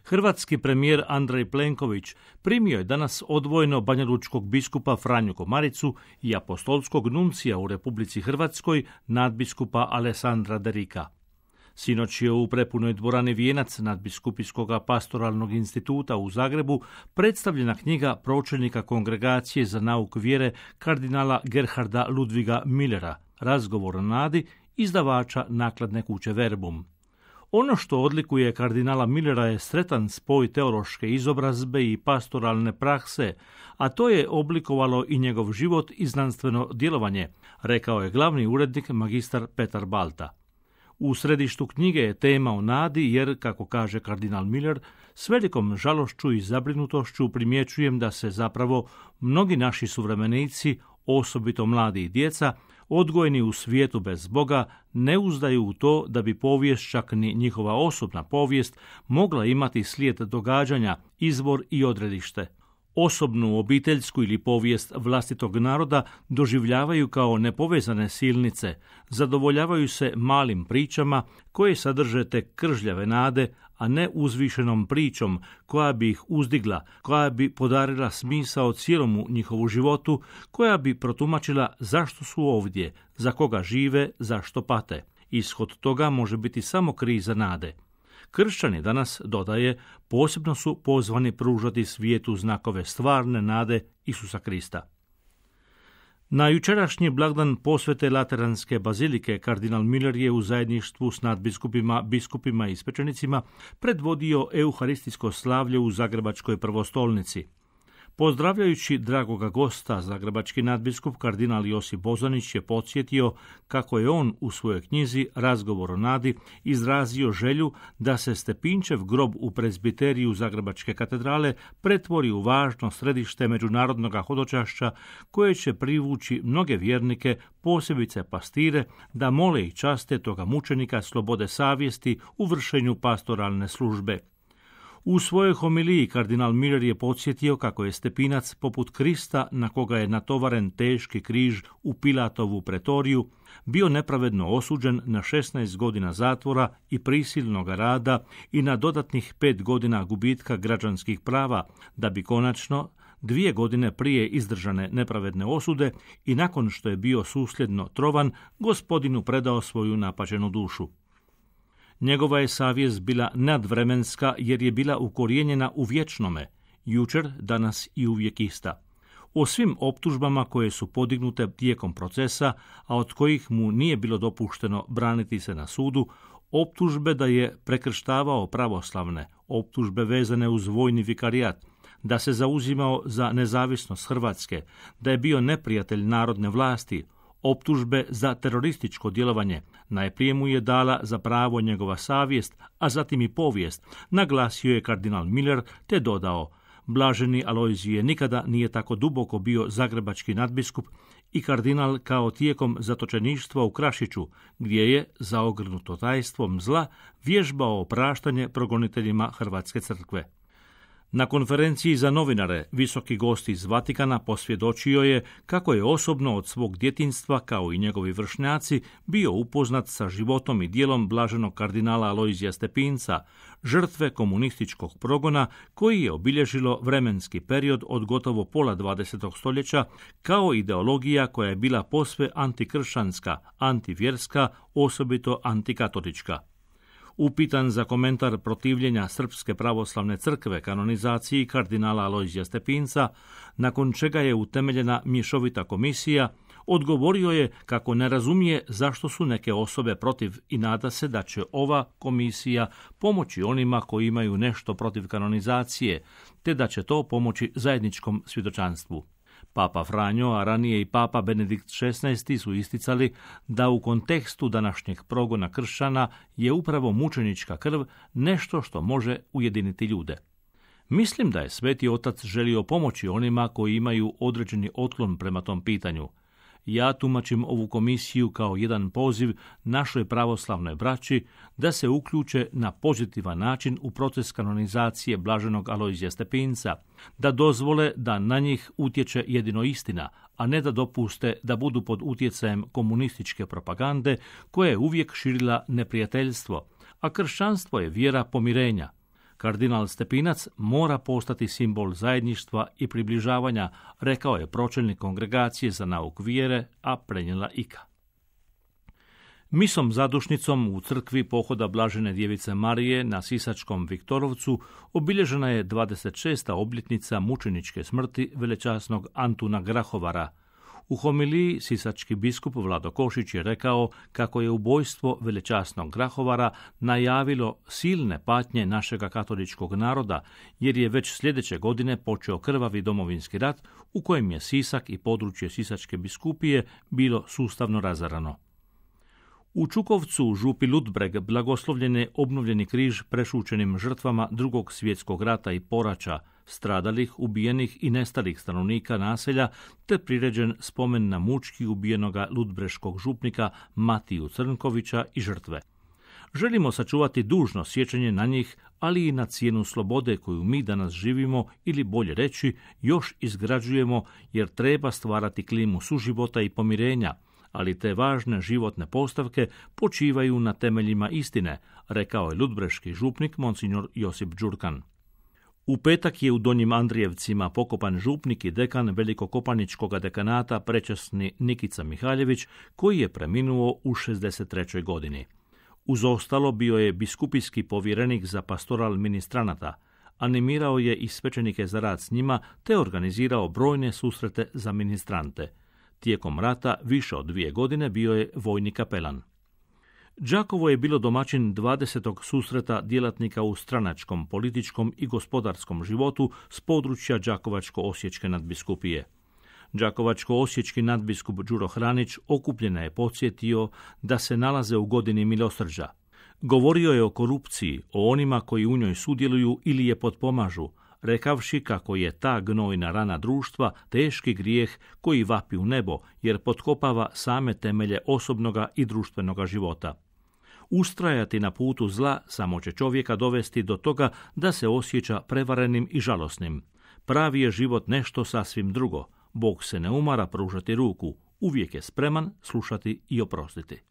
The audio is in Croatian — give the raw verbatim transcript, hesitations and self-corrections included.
Hrvatski premijer Andrej Plenković primio je danas odvojeno banjalučkog biskupa Franju Komaricu i apostolskog nuncija u Republici Hrvatskoj nadbiskupa Alessandra Derika. Sinoć je u prepunoj dvorani Vijenac nadbiskupijskog pastoralnog instituta u Zagrebu predstavljena knjiga pročelnika Kongregacije za nauk vjere kardinala Gerharda Ludviga Millera, Razgovor o nadi, izdavača nakladne kuće Verbum. Ono što odlikuje kardinala Millera je sretan spoj teološke izobrazbe i pastoralne prakse, a to je oblikovalo i njegov život i znanstveno djelovanje, rekao je glavni urednik magistar Petar Balta. U središtu knjige je tema o nadi jer, kako kaže kardinal Miller, s velikom žalošću i zabrinutošću primjećujem da se zapravo mnogi naši suvremenici, osobito mladi i djeca, odgojeni u svijetu bez Boga, ne uzdaju u to da bi povijest, čak ni njihova osobna povijest, mogla imati slijed događanja, izvor i odredište. Osobnu, obiteljsku ili povijest vlastitog naroda doživljavaju kao nepovezane silnice, zadovoljavaju se malim pričama koje sadrže tek kržljave nade, a ne uzvišenom pričom koja bi ih uzdigla, koja bi podarila smisao cijelomu njihovu životu, koja bi protumačila zašto su ovdje, za koga žive, zašto pate. Ishod toga može biti samo kriza nade. Kršćani danas, dodaje, posebno su pozvani pružati svijetu znakove stvarne nade Isusa Krista. Na jučerašnji blagdan posvete Lateranske bazilike kardinal Miller je u zajedništvu s nadbiskupima, biskupima i svećenicima predvodio euharistijsko slavlje u Zagrebačkoj prvostolnici. Pozdravljajući dragoga gosta, zagrebački nadbiskup kardinal Josip Bozanić je podsjetio kako je on u svojoj knjizi Razgovor o nadi izrazio želju da se Stepinčev grob u prezbiteriju Zagrebačke katedrale pretvori u važno središte međunarodnog hodočašća koje će privući mnoge vjernike, posebice pastire, da mole i časte toga mučenika slobode savjesti u vršenju pastoralne službe. U svojoj homiliji kardinal Miller je podsjetio kako je Stepinac poput Krista, na koga je natovaren teški križ u Pilatovu pretoriju, bio nepravedno osuđen na šesnaest godina zatvora i prisilnog rada i na dodatnih pet godina gubitka građanskih prava, da bi konačno dvije godine prije izdržane nepravedne osude i nakon što je bio susljedno trovan, Gospodinu predao svoju napaćenu dušu. Njegova je savjest bila nadvremenska jer je bila ukorijenjena u vječnome, jučer, danas i uvijek ista. O svim optužbama koje su podignute tijekom procesa, a od kojih mu nije bilo dopušteno braniti se na sudu, optužbe da je prekrštavao pravoslavne, optužbe vezane uz vojni vikarijat, da se zauzimao za nezavisnost Hrvatske, da je bio neprijatelj narodne vlasti, optužbe za terorističko djelovanje, najprije mu je dala za pravo njegova savjest, a zatim i povijest, naglasio je kardinal Miller te dodao: blaženi Alojzije nikada nije tako duboko bio zagrebački nadbiskup i kardinal kao tijekom zatočeništva u Krašiću, gdje je, zaogrnuto tajstvom zla, vježbao opraštanje progoniteljima Hrvatske crkve. Na konferenciji za novinare visoki gost iz Vatikana posvjedočio je kako je osobno od svog djetinjstva, kao i njegovi vršnjaci, bio upoznat sa životom i djelom blaženog kardinala Alojzija Stepinca, žrtve komunističkog progona koji je obilježilo vremenski period od gotovo pola dvadesetog stoljeća, kao ideologija koja je bila posve antikršćanska, antivjerska, osobito antikatolička. Upitan za komentar protivljenja Srpske pravoslavne crkve kanonizaciji kardinala Alojzija Stepinca, nakon čega je utemeljena mješovita komisija, odgovorio je kako ne razumije zašto su neke osobe protiv i nada se da će ova komisija pomoći onima koji imaju nešto protiv kanonizacije, te da će to pomoći zajedničkom svjedočanstvu. Papa Franjo, a ranije i Papa Benedikt šesnaesti su isticali da u kontekstu današnjeg progona kršćana je upravo mučenička krv nešto što može ujediniti ljude. Mislim da je Sveti Otac želio pomoći onima koji imaju određeni otklon prema tom pitanju. Ja tumačim ovu komisiju kao jedan poziv našoj pravoslavnoj braći da se uključe na pozitivan način u proces kanonizacije blaženog Alojzija Stepinca, da dozvole da na njih utječe jedino istina, a ne da dopuste da budu pod utjecajem komunističke propagande koja je uvijek širila neprijateljstvo, a kršćanstvo je vjera pomirenja. Kardinal Stepinac mora postati simbol zajedništva i približavanja, rekao je pročelnik Kongregacije za nauk vjere, a prenijela Ika. Misom zadušnicom u crkvi pohoda Blažene djevice Marije na Sisačkom Viktorovcu obilježena je dvadeset šesta obljetnica mučeničke smrti velečasnog Antuna Grahovara. U homiliji sisački biskup Vlado Košić je rekao kako je ubojstvo velečasnog Grahovara najavilo silne patnje našega katoličkog naroda, jer je već sljedeće godine počeo krvavi domovinski rat u kojem je Sisak i područje Sisačke biskupije bilo sustavno razarano. U Čukovcu, u župi Ludbreg, blagoslovljen je obnovljeni križ prešućenim žrtvama Drugog svjetskog rata i poraća, stradalih, ubijenih i nestalih stanovnika naselja, te priređen spomen na mučki ubijenoga ludbreškog župnika Matiju Crnkovića i žrtve. Želimo sačuvati dužno sjećanje na njih, ali i na cijenu slobode koju mi danas živimo, ili bolje reći, još izgrađujemo, jer treba stvarati klimu suživota i pomirenja, ali te važne životne postavke počivaju na temeljima istine, rekao je ludbreški župnik monsignor Josip Đurkan. U petak je u Donjim Andrijevcima pokopan župnik i dekan Velikokopaničkog dekanata prečasni Nikica Mihaljević, koji je preminuo u šezdeset trećoj godini. Uz ostalo bio je biskupijski povjerenik za pastoral ministranata, animirao je i svećenike za rad s njima te organizirao brojne susrete za ministrante. Tijekom rata više od dvije godine bio je vojni kapelan. Đakovo je bilo domaćin dvadesetog susreta djelatnika u stranačkom, političkom i gospodarskom životu s područja Đakovačko-osječke nadbiskupije. Đakovačko-osječki nadbiskup Đuro Hranić okupljene je podsjetio da se nalaze u godini milosrđa. Govorio je o korupciji, o onima koji u njoj sudjeluju ili je potpomažu, rekavši kako je ta gnojna rana društva teški grijeh koji vapi u nebo, jer potkopava same temelje osobnoga i društvenoga života. Ustrajati na putu zla samo će čovjeka dovesti do toga da se osjeća prevarenim i žalosnim. Pravi je život nešto sasvim drugo. Bog se ne umara pružati ruku, uvijek je spreman slušati i oprostiti.